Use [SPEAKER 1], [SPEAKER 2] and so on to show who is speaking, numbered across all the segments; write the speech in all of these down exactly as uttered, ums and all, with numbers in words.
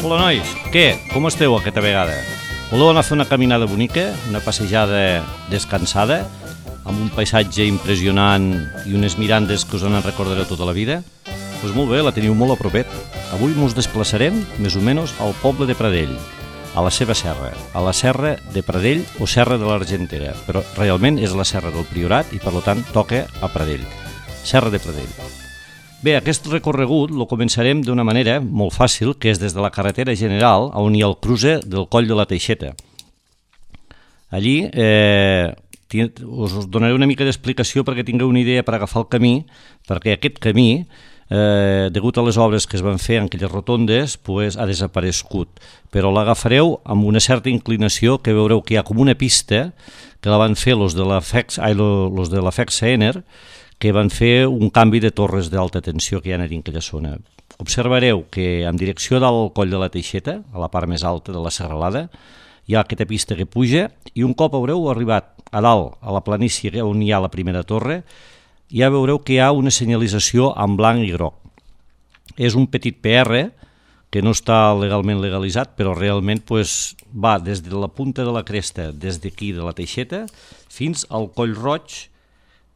[SPEAKER 1] Hola, nois. Què? Com esteu aquesta vegada? Voleu anar a fer una caminada bonica, una passejada descansada, amb un paisatge impressionant i unes mirandes que us en recordareu tota la vida? Doncs pues molt bé, la teniu molt a propet. Avui ens desplaçarem, més o menys, al poble de Pradell, a la seva serra, a la serra de Pradell o serra de l'Argentera, però realment és la serra del Priorat i per tant toca a Pradell, serra de Pradell. Bé, aquest recorregut el començarem d'una manera molt fàcil, que és des de la carretera general on hi ha el cruce del Coll de la Teixeta. Allí eh, us donaré una mica d'explicació perquè tingueu una idea per agafar el camí, perquè aquest camí, eh, degut a les obres que es van fer en aquelles rotondes, pues, ha desaparegut, però l'agafareu amb una certa inclinació, que veureu que hi ha com una pista que la van fer els de la FEX, ai, los de la FEX-Ener, que van fer un canvi de torres d'alta tensió que hi ha en aquella zona. Observareu que en direcció del Coll de la Teixeta, a la part més alta de la serralada, hi ha aquesta pista que puja i un cop haureu arribat a dalt, a la planícia on hi ha la primera torre, ja veureu que hi ha una senyalització en blanc i groc. És un petit P R que no està legalment legalitzat, però realment pues, va des de la punta de la cresta, des d'aquí de la Teixeta, fins al Coll Roig,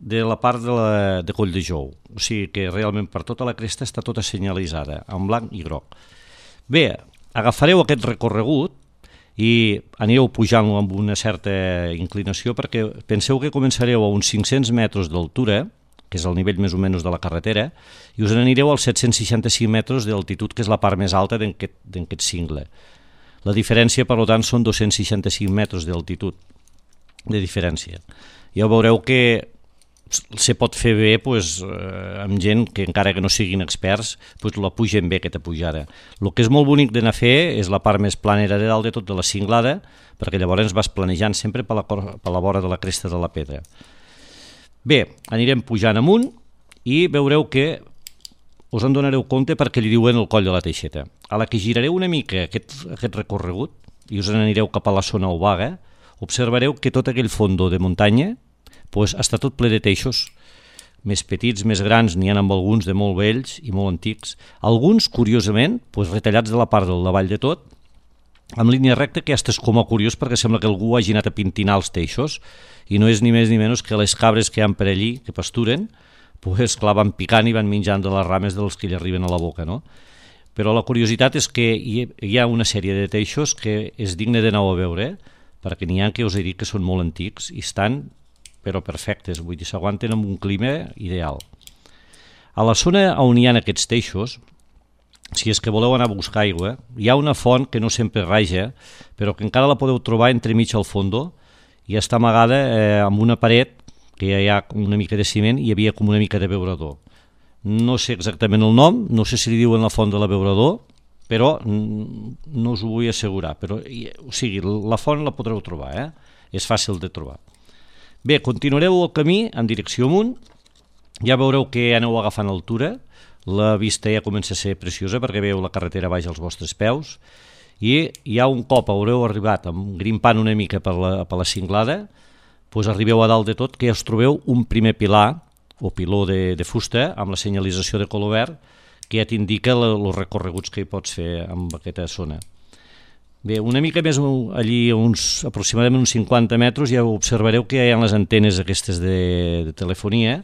[SPEAKER 1] de la part de, la, de Coll de Jou. O sigui que realment per tota la cresta està tota senyalitzada, en blanc i groc. Bé, agafareu aquest recorregut i anireu pujant-lo amb una certa inclinació perquè penseu que començareu a uns cinc-cents metres d'altura, que és el nivell més o menys de la carretera, i us anireu als set-cents seixanta-cinc metres d'altitud, que és la part més alta d'aquest cingle. La diferència, per tant, són dos-cents seixanta-cinc metres d'altitud de diferència. Ja veureu que se pot fer bé pues, eh, amb gent que encara que no siguin experts pues, la pugen bé aquesta pujada. El que és molt bonic d'anar a fer és la part més planera de dalt de tot de la cinglada, perquè llavors vas planejant sempre per la, per la vora de la cresta de la pedra. Bé, anirem pujant amunt i veureu que us en donareu compte perquè li diuen el Coll de la Teixeta. A la que girareu una mica aquest, aquest recorregut i us n'anireu cap a la zona obaga, observareu que tot aquell fondo de muntanya pues, està tot ple de teixos, més petits, més grans, n'hi ha amb alguns de molt vells i molt antics. Alguns, curiosament, pues, retallats de la part del davall de tot, amb línia recta, que estàs com a curiós perquè sembla que algú hagi anat a pintinar els teixos i no és ni més ni menys que les cabres que hi ha per allí, que pasturen, pues, clar, van picant i van menjant de les rames dels que li arriben a la boca, no? Però la curiositat és que hi ha una sèrie de teixos que és digne de nou a veure, perquè n'hi ha que us he dit que són molt antics i estan però perfectes, vull dir, s'aguanten amb un clima ideal. A la zona on hi ha aquests teixos, si és que voleu anar a buscar aigua, hi ha una font que no sempre raja, però que encara la podeu trobar entremig al fondo i està amagada eh, amb una paret que hi ha una mica de ciment i hi havia com una mica de beurador. No sé exactament el nom, no sé si li diuen la font de la beurador, però no us ho vull assegurar. Però, o sigui, la font la podreu trobar, eh? És fàcil de trobar. Bé, continuareu el camí en direcció amunt, ja veureu que aneu agafant altura, la vista ja comença a ser preciosa perquè veieu la carretera baix als vostres peus i ja un cop haureu arribat grimpant una mica per la, per la cinglada, doncs arribeu a dalt de tot que ja us trobeu un primer pilar o piló de, de fusta amb la senyalització de color verd que ja t'indica els recorreguts que hi pots fer en aquesta zona. Bé, una mica més allí, uns, aproximadament uns cinquanta metres, ja observareu que hi ha les antenes aquestes de, de telefonia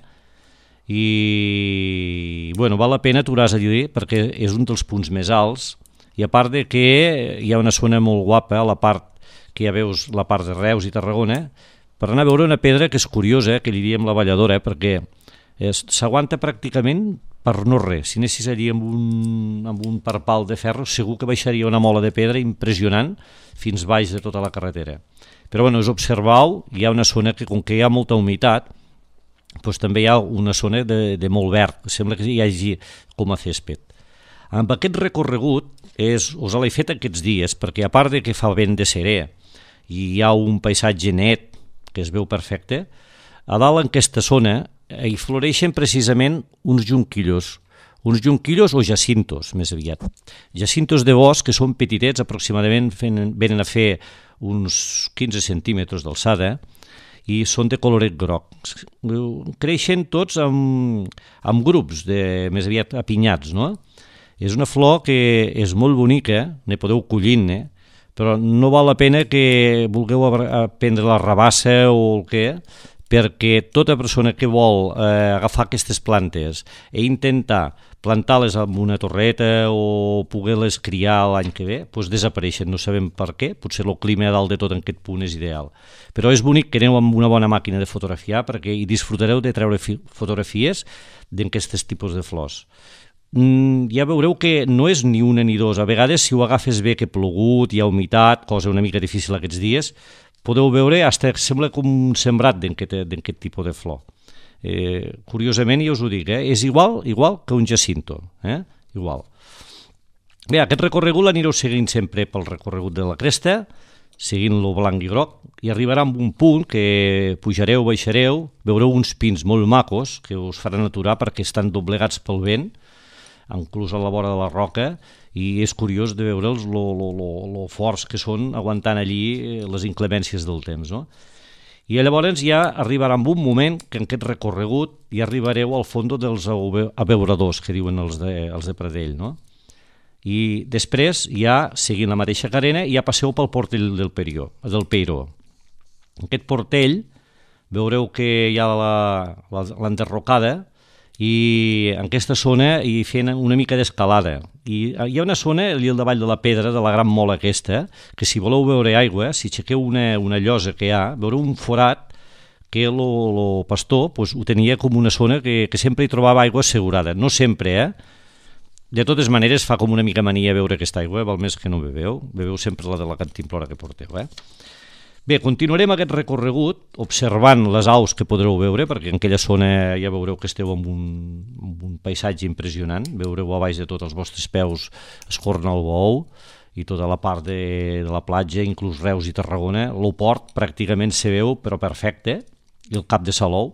[SPEAKER 1] i, bueno, val la pena aturar-se allí perquè és un dels punts més alts i a part de que hi ha una zona molt guapa, a la part que ja veus la part de Reus i Tarragona, per anar a veure una pedra que és curiosa, que li diem la balladora, perquè s'aguanta pràcticament per no res. Si anessis allí amb un, amb un parpal de ferro, segur que baixaria una mola de pedra impressionant fins baix de tota la carretera. Però bueno, us observeu, hi ha una zona que com que hi ha molta humitat, doncs també hi ha una zona de, de molt verd, sembla que hi hagi com a césped. Amb aquest recorregut, és, us l'he fet aquests dies, perquè a part de que fa vent de serè i hi ha un paisatge net que es veu perfecte, a dalt en aquesta zona hi floreixen precisament uns jonquillos, uns jonquillos o jacintos, més aviat. Jacintos de bosc que són petitets, aproximadament venen a fer uns quinze centímetres d'alçada i són de coloret groc. Creixen tots amb, amb grups, de, més aviat apinyats, no? És una flor que és molt bonica, ne podeu collir-ne, però no val la pena que vulgueu prendre la rabassa o el què, perquè tota persona que vol eh, agafar aquestes plantes i intentar plantar-les en una torreta o poder-les criar l'any que ve, doncs desapareixen, no sabem per què, potser el clima a dalt de tot en aquest punt és ideal. Però és bonic que aneu amb una bona màquina de fotografiar perquè hi disfrutareu de treure fotografies d'aquests tipus de flors. Mm, ja veureu que no és ni una ni dos, a vegades si ho agafes bé que ha plogut, hi ha humitat, cosa una mica difícil aquests dies, podeu veure, hasta sembla com un sembrat d'aquest tipus de flor. Eh, curiosament, ja us ho dic, eh? És igual igual que un jacinto, eh? Igual. Bé, aquest recorregut l'anireu seguint sempre pel recorregut de la cresta, seguint-lo blanc i groc, i arribarà a un punt que pujareu, baixareu, veureu uns pins molt macos que us faran aturar perquè estan doblegats pel vent, inclús a la vora de la roca, i és curiós de veure'ls lo, lo, lo, lo forts que són aguantant allí les inclemències del temps, no? I llavors ja arribarà un moment que en aquest recorregut ja arribareu al fons dels abeuradors, que diuen els de, els de Pradell, no? I després, ja seguint la mateixa carena, ja passeu pel portell del Peiró. Del Peiró. En aquest portell veureu que hi ha l'enderrocada i en aquesta zona hi fent una mica d'escalada. I hi ha una zona, allà al davall de la pedra, de la gran mola aquesta, que si voleu veure aigua, si aixequeu una, una llosa que hi ha, veureu un forat que el pastor pues, ho tenia com una zona que, que sempre hi trobava aigua assegurada. No sempre, eh? De totes maneres, fa com una mica mania veure aquesta aigua, val més que no beveu, beveu sempre la de la cantimplora que porteu, eh? Bé, continuarem aquest recorregut observant les aus que podreu veure, perquè en aquella zona ja veureu que esteu en un, en un paisatge impressionant, veureu a baix de tots els vostres peus Escorna el Bou i tota la part de, de la platja, inclús Reus i Tarragona, el port pràcticament se veu però perfecte, i el cap de Salou,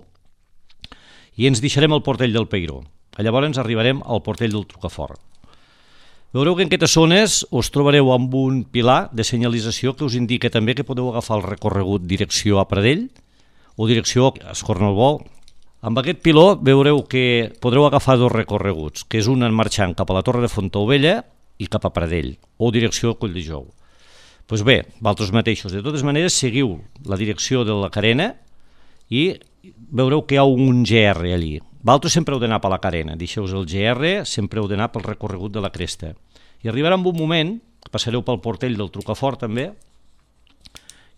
[SPEAKER 1] i ens deixarem al portell del Peiró. Llavors arribarem al portell del Trucafort. Veureu que en aquestes zones us trobareu amb un pilar de senyalització que us indica també que podeu agafar el recorregut direcció a Pradell o direcció a Escornalbou. Amb aquest piló veureu que podreu agafar dos recorreguts, que és un marxant cap a la Torre de Fontaubella i cap a Pradell, o direcció a Colldejou. Doncs bé, vosaltres mateixos, de totes maneres, seguiu la direcció de la carena i veureu que hi ha un G R allí. Vosaltres sempre heu d'anar per la carena, deixeu-vos el G R, sempre heu d'anar pel recorregut de la cresta. I arribarà un moment, passareu pel portell del Trucafort també,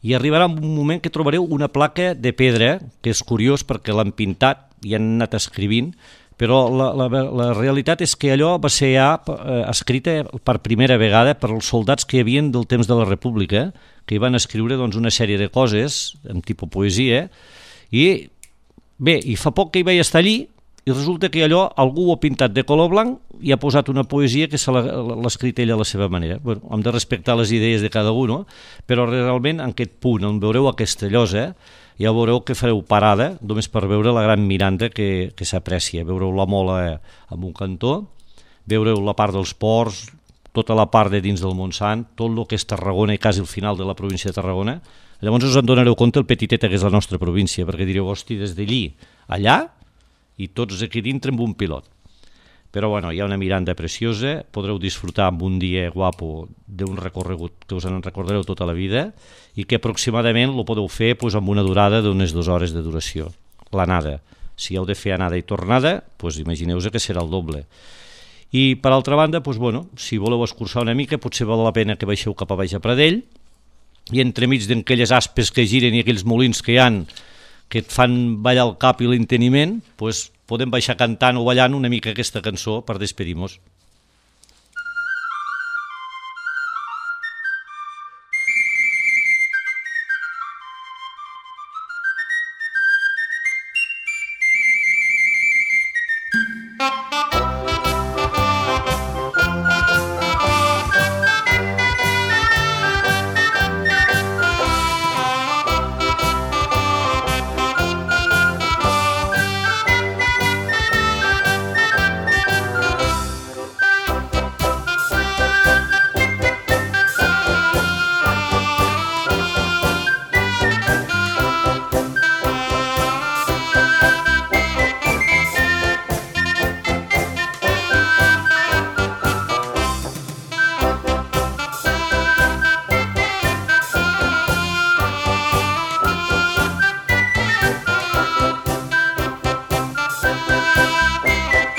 [SPEAKER 1] i arribarà un moment que trobareu una placa de pedra, que és curiós perquè l'han pintat i han anat escrivint, però la, la, la realitat és que allò va ser ja eh, escrita per primera vegada per als soldats que hi havia del temps de la República, que hi van escriure doncs, una sèrie de coses, en tipus poesia, i bé, i fa poc que hi vaig estar allí, i resulta que allò algú ho ha pintat de color blanc i ha posat una poesia que l'ha escrit ell a la seva manera. Bueno, hem de respectar les idees de cada un, no? Però realment en aquest punt on veureu aquesta llosa ja veureu que fareu parada només per veure la gran miranda que, que s'aprecia. Veureu la mola en un cantó, veureu la part dels ports, tota la part de dins del Montsant, tot el que és Tarragona i quasi el final de la província de Tarragona. Llavors us en donareu compte el petiteta que és la nostra província, perquè direu, hosti, des d'allí allà i tots aquí dintre amb un pilot. Però bueno, hi ha una miranda preciosa, podreu disfrutar amb un dia guapo d'un recorregut que us en recordareu tota la vida i que aproximadament lo podeu fer doncs, amb una durada d'unes dues hores de duració, l'anada. Si heu de fer anada i tornada, doncs imagineu-vos que serà el doble. I per altra banda, doncs, bueno, si voleu escurçar una mica, potser val la pena que baixeu cap a baix a Pradell i entremig d'aquelles aspes que giren i aquells molins que hi han que et fan ballar el cap i l'enteniment, doncs podem baixar cantant o ballant una mica aquesta cançó per despedir-nos.
[SPEAKER 2] Thank you.